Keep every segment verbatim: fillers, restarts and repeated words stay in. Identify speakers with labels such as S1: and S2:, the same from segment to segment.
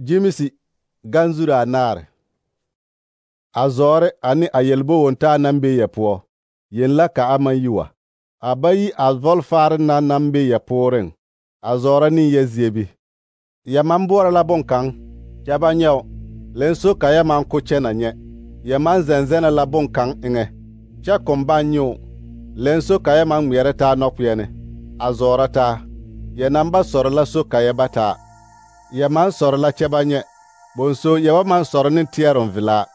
S1: Jimisi ganzura anaare. A zoore ani a yelbo wontaa naŋ be yɛ poɔ, yen la ka a maŋ yi wa. A ba yi a vɔlfaare na naŋ be yɛ pooreŋ, a zɔɔrɔ ne yɛ ziebi. Yɛ maŋ boɔrɔ la boŋkaŋ, kyɛ ba nyɛo, lenso ka yɛ maŋ ko kyɛnɛ nyɛ. Yɛ maŋ zɛŋzɛnɛ la boŋkaŋ eŋɛ, kyɛ koŋ baŋ nyɛo, lenso ka yɛ maŋ ŋmeɛrɛ taa nɔkpeɛne, a zɔɔrɔ taa. Yɛ naŋ ba sɔrɔ la so ka yɛ ba taa. Yɛ maŋ sɔrɔ la kyɛ ba nyɛ, bonso yɛ ba maŋ sɔrɔ ne teɛroŋ velaa.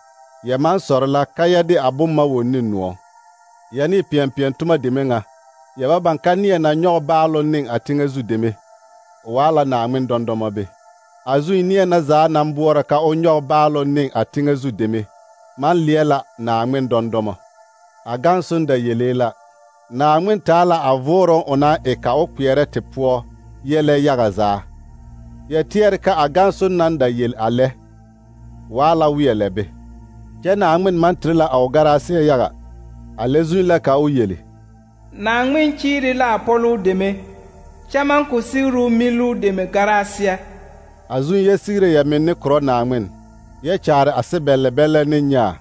S1: Yɛ maŋ sɔrɔ la ka yɛ de a bomma won ne noɔ. Yɛ ne peɛŋpeɛŋ toma deme ŋa, yɛ ba baŋ ka neɛ na nyɔge baaloŋ ne a teŋɛ zu deme, o waa la Naaŋmen dɔndɔmɔ be. A zuŋ neɛ na zaa naŋ boɔrɔ ka o nyɔge baaloŋ ne a teŋɛ zu deme, maŋ leɛ la Naaŋmen dɔndɔmɔ. A gaŋ soŋ da yelee la, Naaŋmen taa la a voorɔŋ o naŋ e ka o kpeɛrɛ te poɔ yɛlɛ yaga zaa. Yɛ teɛre ka a gaŋ soŋ naŋ da yel a lɛ, waa la weɛ lɛ be. Kyɛ Naaŋmen maŋ tere la a o garaasɩɛ yaga, a lɛ zuŋ la ka o yeli.
S2: Naaŋmen kyiiri la a pɔloo deme, kyɛ maŋ ko sigruu miluu deme garaasɩɛ.
S1: A zuŋ yɛ sigire yɛ menne korɔ Naaŋmen, yɛ kyaare a sebɛllɛ bɛllɛ ne nyaa,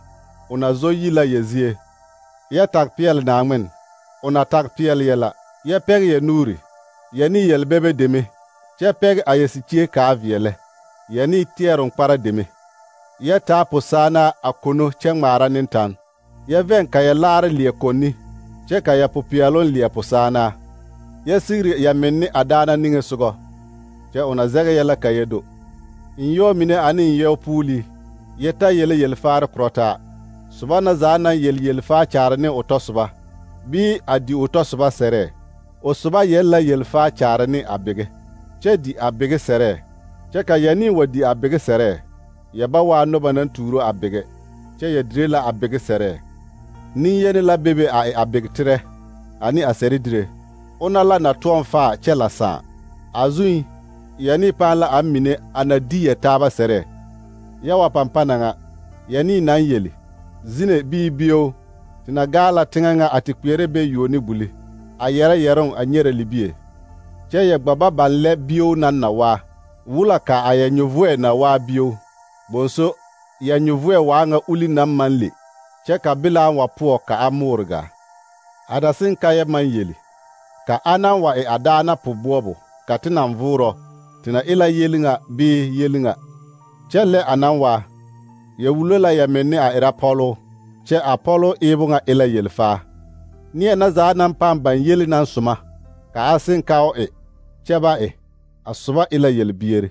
S1: o na zɔ yi la yɛ zie. Yɛ tag peɛle Naaŋmen, o na tag peɛle yɛ la. Yɛ pɛge yɛ nuuri, yɛ ne yelbɛbɛ deme, kyɛ pɛge a yɛ sikie kaa veɛlɛ, yɛ ne teɛroŋ kpara deme. Yɛ taa posaanaa a kono kyɛ ŋmaara ne tan. Yɛ vɛŋ ka yɛ laare leɛ konni, kyɛ ka yɛ popeɛloŋ leɛ posaanaa. Yɛ sigiri yɛ menne a daana niŋesogɔ, kyɛ o na zɛge yɛ la ka yɛ do. Nyɔɔ mine ane nyɔɔ puulii, yɛ ta yele yelfaare korɔ taa. Soba na zaa naŋ yel yelfaa kyaare ne o tɔsoba, bii a di o tɔsoba sɛrɛɛ, o soba yɛl la yelfaa kyaare ne a bege, kyɛ di a bege sɛrɛɛ. Kyɛ ka yɛ ne wa di a bege sɛrɛɛ, yɛ ba waa noba naŋ tuuro a bege, kyɛ yɛ dire la a bege sɛrɛɛ. Neŋyeni la bebe a e a begeterɛ, ane a sɛredire. Ona la na toɔŋ faa kyɛ la sãã. A zuŋ, yɛ ne pãã la a mine a na di yɛ taaba sɛrɛɛ. Yɛ wa pampana ŋa, yɛ ne naŋ yeli, zine bii bio, te na gaa la teŋɛ ŋa a te kpeɛrɛ be yuo ne buli, a yɛrɛ yɛroŋ a nyɛrɛ libie. Kyɛ yɛ gba ba baŋ lɛ bio naŋ na waa, wula ka a yɛ nyovoɛ na waa bio. Bonso, yɛ nyovoɛ waa ŋa uli naŋ maŋ le, kyɛ ka bilaa wa poɔ ka a moore gaa. A da seŋ ka yɛ maŋ yeli, ka a wa e a daana po-boɔbo, ka te naŋ voorɔ, te na e la yeli ŋa bii yeli ŋa. Kyɛ lɛ a naŋ waa, yɛ wulo la yɛ menne a erɛ pɔloo, kyɛ a pɔloo eebo ŋa e la yelfaa. Neɛ na zaa naŋ pãã baŋ yeli naŋ soma, ka a seŋ ka o e, kyɛ ba e, a soba e la yelbiere.